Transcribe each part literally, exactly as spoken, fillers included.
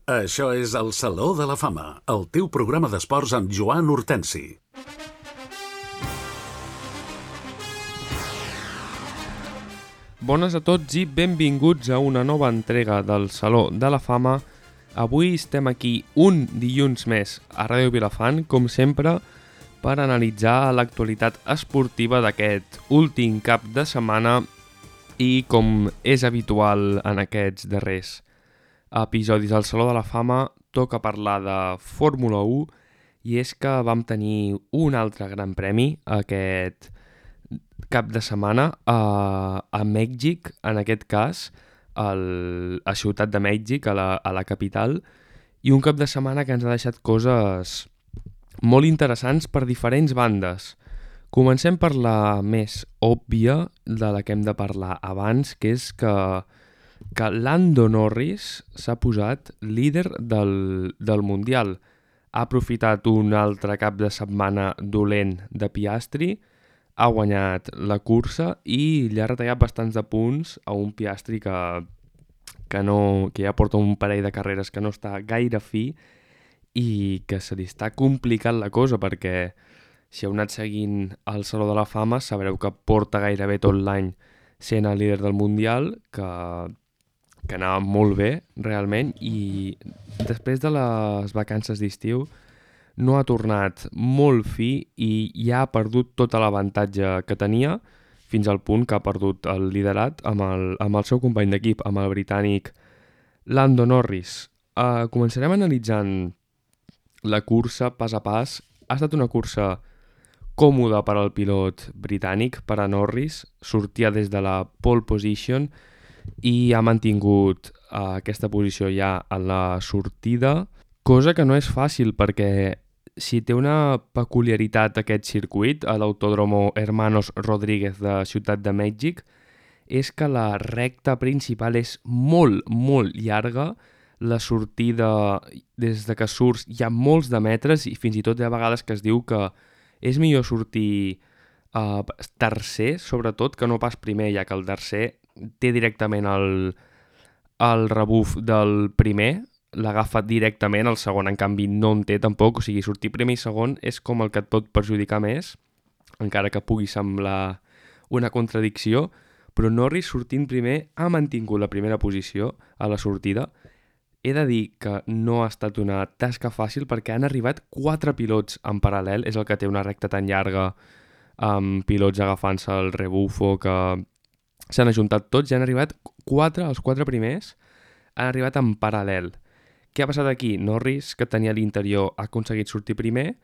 Això és el Saló de la Fama, el teu programa d'esports amb Joan Hortensi. Bones a tots i benvinguts a una nova entrega del Saló de la Fama. Avui estem aquí un dilluns més a Ràdio Vilafant, com sempre, per analitzar l'actualitat esportiva d'aquest últim cap de setmana i, com és habitual en aquests darrers episodis del Saló de la Fama, toca parlar de Fórmula u, i és que vam tenir un altre gran premi aquest cap de setmana a, a Mèxic, en aquest cas el, a Ciutat de Mèxic, a la, a la capital, i un cap de setmana que ens ha deixat coses molt interessants per diferents bandes. Comencem per la més òbvia, de la que hem de parlar abans, que és que, que Lando Norris s'ha posat líder del, del Mundial. Ha aprofitat un altre cap de setmana dolent de Piastri, ha guanyat la cursa i li ha retallat bastants de punts a un Piastri que, que, no, que ja porta un parell de carreres que no està gaire fi i que se li està complicant la cosa, perquè si heu anat seguint el Saló de la Fama sabreu que porta gairebé tot l'any sent el líder del Mundial, que, que anava molt bé realment, i després de les vacances d'estiu no ha tornat molt fi i ja ha perdut tot l'avantatge que tenia, fins al punt que ha perdut el liderat amb el, amb el seu company d'equip, amb el britànic Lando Norris. Uh, començarem analitzant la cursa pas a pas. Ha estat una cursa còmoda per al pilot britànic, per a Norris. Sortia des de la pole position i ha mantingut uh, aquesta posició ja a la sortida, cosa que no és fàcil perquè si té una peculiaritat aquest circuit, a l'Autódromo Hermanos Rodríguez de Ciutat de Mèxic, és que la recta principal és molt, molt llarga. La sortida, des de que surts, hi ha molts de metres i fins i tot hi ha vegades que es diu que és millor sortir uh, tercer, sobretot, que no pas primer, ja que el tercer té directament el, el rebuf del primer, l'agafa directament, el segon en canvi no en té tampoc, o sigui, sortir primer i segon és com el que et pot perjudicar més, encara que pugui semblar una contradicció, però Norris sortint primer ha mantingut la primera posició a la sortida. He de dir que no ha estat una tasca fàcil perquè han arribat quatre pilots en paral·lel, és el que té una recta tan llarga, amb pilots agafant-se el rebufo, que s'han ajuntat tots i han arribat quatre, els quatre primers, han arribat en paral·lel. Què ha passat aquí? Norris, que tenia l'interior, ha aconseguit sortir primer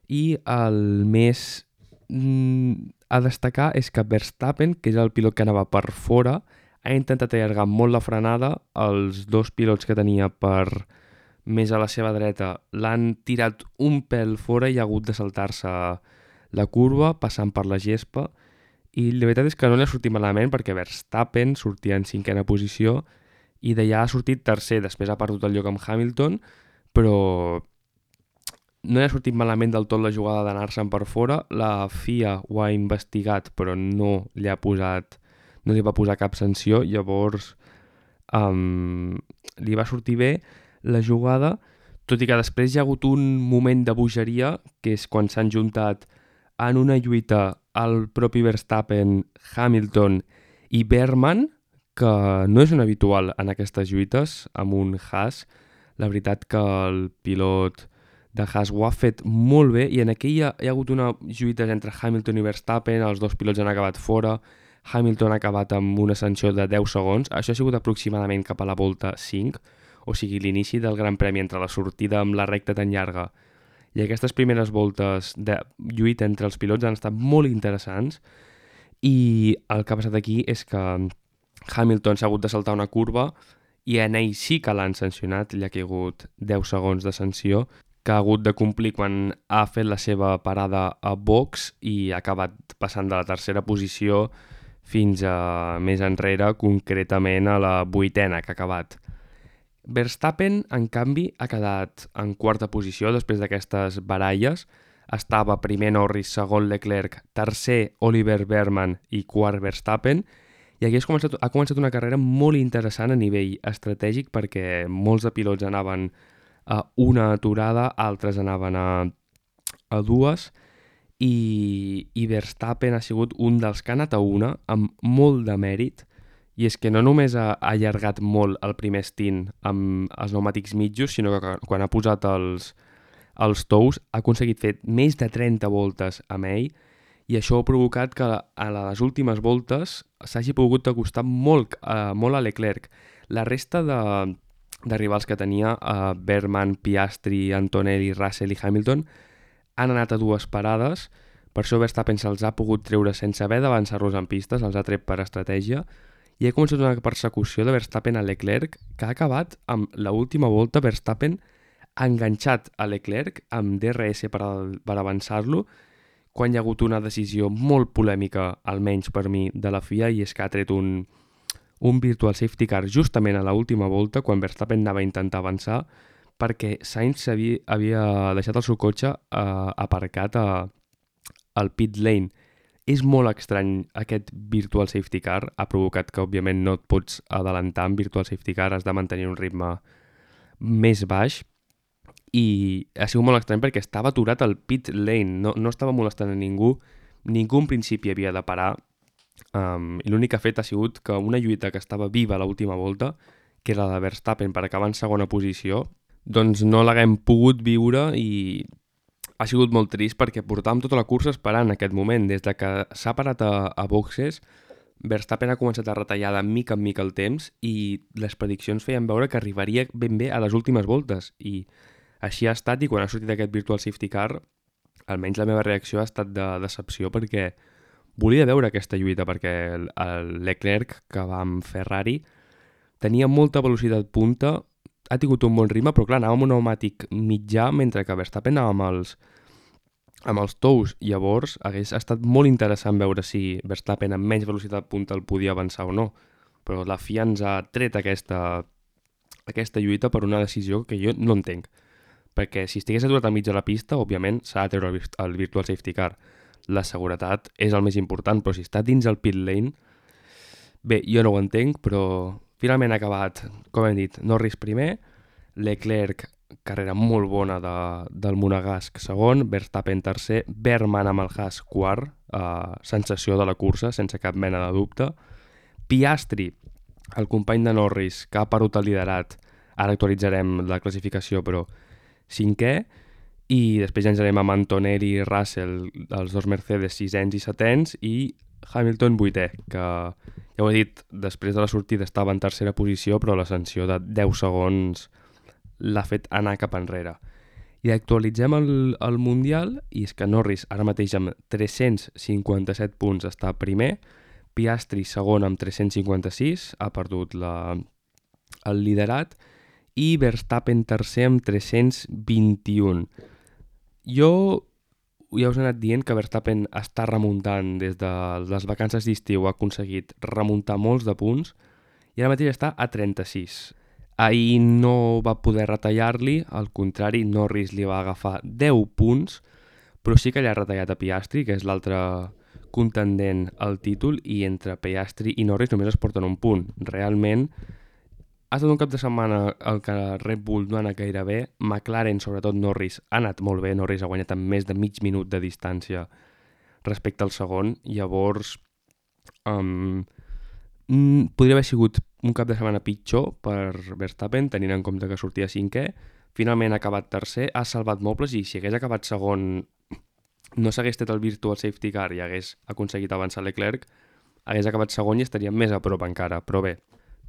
i el més mm, a destacar és que Verstappen, que és el pilot que anava per fora, ha intentat allargar molt la frenada. Els dos pilots que tenia per més a la seva dreta l'han tirat un pèl fora i ha hagut de saltar-se la curva passant per la gespa, i la veritat és que no li ha sortit malament perquè Verstappen sortia en cinquena posició i d'allà ha sortit tercer, després ha perdut el lloc amb Hamilton, però no li ha sortit malament del tot la jugada d'anar-se'n per fora. La F I A ho ha investigat, però no li ha posat, no li va posar cap sanció, llavors um, li va sortir bé la jugada, tot i que després hi ha hagut un moment de bogeria, que és quan s'han juntat en una lluita el propi Verstappen, Hamilton i Bergman, que no és un habitual en aquestes lluites amb un Haas. La veritat que el pilot de Haas ho ha fet molt bé, i en aquella hi ha hagut una lluita entre Hamilton i Verstappen, els dos pilots han acabat fora, Hamilton ha acabat amb una sanció de deu segons, això ha sigut aproximadament cap a la volta cinc, o sigui l'inici del Gran Premi, entre la sortida amb la recta tan llarga i aquestes primeres voltes de lluita entre els pilots han estat molt interessants, i el que ha passat aquí és que Hamilton s'ha hagut de saltar una curva i en ell sí que l'han sancionat, li ha caigut deu segons de sanció, que ha hagut de complir quan ha fet la seva parada a box i ha acabat passant de la tercera posició fins a més enrere, concretament a la vuitena que ha acabat. Verstappen, en canvi, ha quedat en quarta posició després d'aquestes baralles. Estava primer Norris, segon Leclerc, tercer Oliver Bergman i quart Verstappen, I aquí ha començat, ha començat una carrera molt interessant a nivell estratègic perquè molts de pilots anaven a una aturada, altres anaven a, a dues, i, i Verstappen ha sigut un dels que ha anat a una amb molt de mèrit, i és que no només ha, ha allargat molt el primer stint amb els pneumàtics mitjos, sinó que quan ha posat els, els tous ha aconseguit fer més de trenta voltes amb ell, i això ha provocat que a les últimes voltes s'hagi pogut acostar molt, uh, molt a Leclerc. La resta de, de rivals que tenia, uh, Berman, Piastri, Antonelli, Russell i Hamilton, han anat a dues parades, per això Verstappen se'ls ha pogut treure sense haver d'avançar-los en pistes, els ha tret per estratègia, i ha començat una persecució de Verstappen a Leclerc que ha acabat amb l'última volta Verstappen enganxat a Leclerc amb D R S per, al, per avançar-lo, quan hi ha hagut una decisió molt polèmica, almenys per mi, de la F I A, i és que ha tret un, un virtual safety car justament a l'última volta, quan Verstappen anava a intentar avançar, perquè Sainz havia, havia deixat el seu cotxe eh, aparcat a, al pit lane. És molt estrany aquest virtual safety car, ha provocat que òbviament no et pots adelantar amb virtual safety car, has de mantenir un ritme més baix, i ha sigut molt estrany perquè estava aturat al pit lane, no, no estava molestant a ningú, ningú en principi havia de parar, um, i l'únic que ha fet ha sigut que una lluita que estava viva a l'última volta, que era la de Verstappen per acabar en segona posició, doncs no l'haguem pogut viure, i ha sigut molt trist perquè portàvem tota la cursa esperant aquest moment. Des de que s'ha parat a, a boxes, Verstappen ha començat a retallar de mica en mica el temps i les prediccions feien veure que arribaria ben bé a les últimes voltes, i així ha estat, i quan ha sortit aquest virtual safety car, almenys la meva reacció ha estat de decepció perquè volia veure aquesta lluita, perquè el, el Leclerc, que va amb Ferrari, tenia molta velocitat punta, ha tingut un bon ritme, però clar, anava amb un pneumàtic mitjà, mentre que Verstappen anava amb els, amb els tous. Llavors hagués estat molt interessant veure si Verstappen amb menys velocitat punta el podia avançar o no, però la F I A ens ha tret aquesta, aquesta lluita per una decisió que jo no entenc, perquè si estigués aturat al mig de la pista, òbviament s'ha de treure el, el virtual safety car. La seguretat és el més important, però si està dins el pit lane, bé, jo no ho entenc, però finalment ha acabat, com hem dit, Norris primer, Leclerc, carrera molt bona de, del Monegasc segon, Verstappen tercer, Berman amb el Haas quart, eh, sensació de la cursa, sense cap mena de dubte, Piastri, el company de Norris, que ha perdut el liderat, ara actualitzarem la classificació, però cinquè, i després ja ens anem amb Antonelli i Russell, els dos Mercedes sisens i setens, i Hamilton vuitè, que ja ho he dit, després de la sortida estava en tercera posició, però la sanció de deu segons l'ha fet anar cap enrere. I actualitzem el, el Mundial, i és que Norris ara mateix amb tres-cents cinquanta-set punts està primer, Piastri segon amb tres-cents cinquanta-sis, ha perdut la, el liderat, i Verstappen tercer amb tres-cents vint-i-un. Jo ja us he anat dient que Verstappen està remuntant des de les vacances d'estiu, ha aconseguit remuntar molts de punts i ara mateix està a trenta-sis. Ahir no va poder retallar-li, al contrari, Norris li va agafar deu punts, però sí que li ha retallat a Piastri, que és l'altre contendent al títol, i entre Piastri i Norris només es porten un punt. Realment ha estat un cap de setmana el que Red Bull no ha anat gaire bé. McLaren, sobretot Norris, ha anat molt bé. Norris ha guanyat amb més de mig minut de distància respecte al segon. Llavors, um, podria haver sigut un cap de setmana pitjor per Verstappen, tenint en compte que sortia cinquè. Finalment ha acabat tercer, ha salvat mobles, i si hagués acabat segon, no s'hagués tret el virtual safety car i hagués aconseguit avançar Leclerc, hagués acabat segon i estaria més a prop encara. Però bé,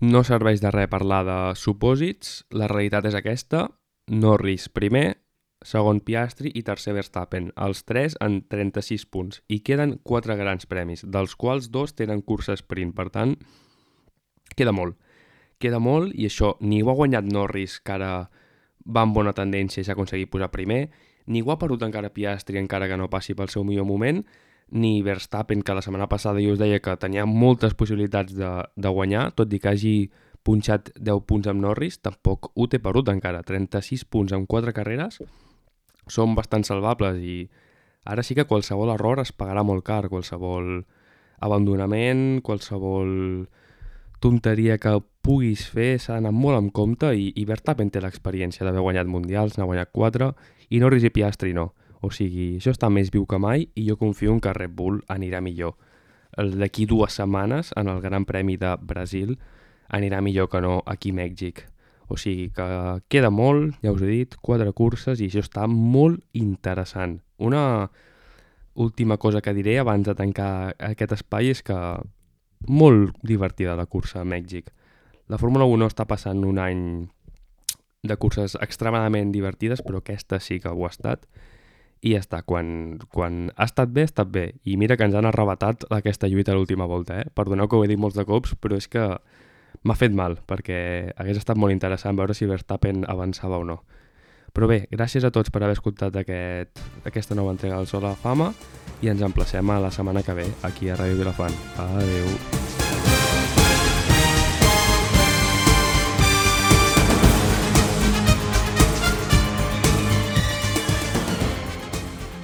no serveix de res parlar de supòsits, la realitat és aquesta: Norris primer, segon Piastri i tercer Verstappen, els tres en trenta-sis punts, i queden quatre grans premis, dels quals dos tenen cursa sprint, per tant, queda molt. Queda molt, i això ni ho ha guanyat Norris, que ara va amb bona tendència i s'ha aconseguit posar primer, ni ho ha perdut encara Piastri, encara que no passi pel seu millor moment, ni Verstappen, que la setmana passada jo us deia que tenia moltes possibilitats de, de guanyar, tot i que hagi punxat deu punts amb Norris, tampoc ho té perdut encara. trenta-sis punts en quatre carreres són bastant salvables, i ara sí que qualsevol error es pagarà molt car, qualsevol abandonament, qualsevol tonteria que puguis fer s'ha d'anar molt en compte i, i Verstappen té l'experiència d'haver guanyat mundials, n'ha guanyat quatre, i Norris i Piastri no. O sigui, això està més viu que mai i jo confio en que Red Bull anirà millor. D'aquí dues setmanes, en el Gran Premi de Brasil, anirà millor que no aquí a Mèxic. O sigui que queda molt, ja us he dit, quatre curses i això està molt interessant. Una última cosa que diré abans de tancar aquest espai és que molt divertida la cursa a Mèxic. La Fórmula u no està passant un any de curses extremadament divertides, però aquesta sí que ho ha estat. I ja està, quan, quan ha estat bé, ha estat bé. I mira que ens han arrebatat aquesta lluita a l'última volta, eh? Perdoneu que ho he dit molts de cops, però és que m'ha fet mal, perquè hagués estat molt interessant veure si Verstappen avançava o no. Però bé, gràcies a tots per haver escoltat aquest, aquesta nova entrega del Sol a la Fama i ens emplacem a la setmana que ve aquí a Ràdio Vilafant. Adéu!